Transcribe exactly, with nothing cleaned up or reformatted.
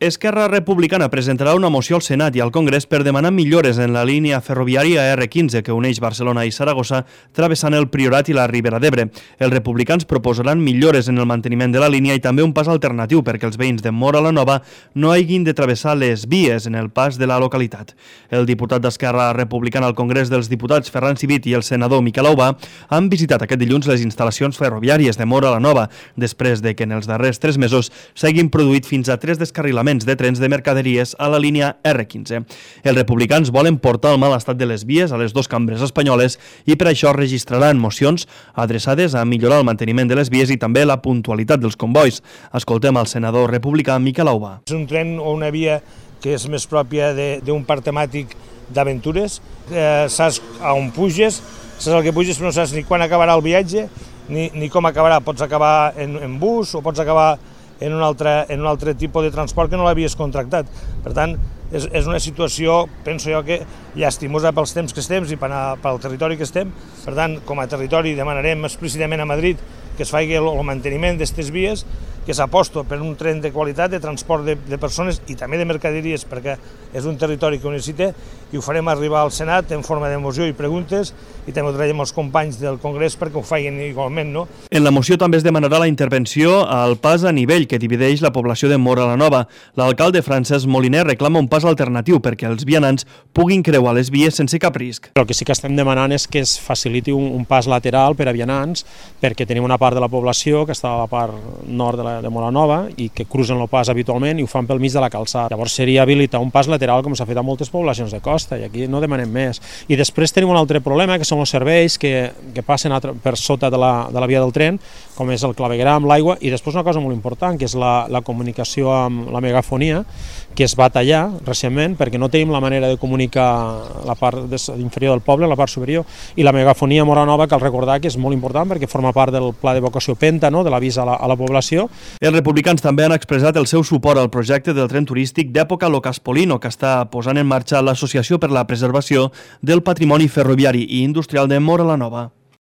Esquerra Republicana presentarà una moció al Senat i al Congrés per demanar millores en la línia ferroviària erre quinze que uneix Barcelona i Saragossa travessant el Priorat i la Ribera d'Ebre. Els republicans proposaran millores en el manteniment de la línia i també un pas alternatiu perquè els veïns de Móra la Nova no hagin de travessar les vies en el pas de la localitat. El diputat d'Esquerra Republicana al Congrés dels Diputats, Ferran Civit, i el senador Miquel Aubà han visitat aquest dilluns les instal·lacions ferroviàries de Móra la Nova, després de que en els darrers tres mesos s'hagin produït fins a tres descarrilaments de trens de mercaderies a la línia erre quinze. Els republicans volen portar el mal estat de les vies a les dues cambres espanyoles i per això registraran mocions adreçades a millorar el manteniment de les vies i també la puntualitat dels convois. Escoltem al senador republicà Miquel Aubà. És un tren o una via que és més pròpia d'un parc temàtic d'aventures. Eh, saps a on puges, saps el que puges, però no saps ni quan acabarà el viatge ni, ni com acabarà. Pots acabar en, en bus o pots acabar en un altre, en un altre tipus de transport que no l'havies contractat. Per tant, és, és una situació, penso jo, que llastimosa pels temps que estem i pel territori que estem. Per tant, com a territori demanarem explícitament a Madrid que es faci el, el manteniment d'aquestes vies, que s'aposta per un tren de qualitat de transport de, de persones i també de mercaderies, perquè és un territori que ho necessita, i ho farem arribar al Senat en forma de moció i preguntes, i també ho traiem als companys del Congrés perquè ho facin igualment, no? En la moció també es demanarà la intervenció al pas a nivell que divideix la població de Móra la Nova. L'alcalde Francesc Moliner reclama un pas alternatiu perquè els vianants puguin creuar les vies sense cap risc. El que sí que estem demanant és que es faciliti un, un pas lateral per a vianants, perquè tenim una part de la població que està a la part nord de, la, de Móra Nova i que cruzen el pas habitualment i ho fan pel mig de la calçada. Llavors seria habilitar un pas lateral com s'ha fet a moltes poblacions de costa, i aquí no demanem més. I després tenim un altre problema, que són els serveis que, que passen a, per sota de la, de la via del tren, com és el clavegueram, l'aigua, i després una cosa molt important, que és la, la comunicació amb la megafonia, que es va tallar recentment perquè no tenim la manera de comunicar la part inferior del poble, la part superior, i la megafonia Móra Nova, cal recordar que és molt important perquè forma part del pla d'evacuació Penta, no?, de l'avís a, la, a la població. Els republicans també han expressat el seu suport al projecte del tren turístic d'època Locaspolino, que està posant en marxa l'Associació per la Preservació del Patrimoni Ferroviari i Industrial de Móra la Nova.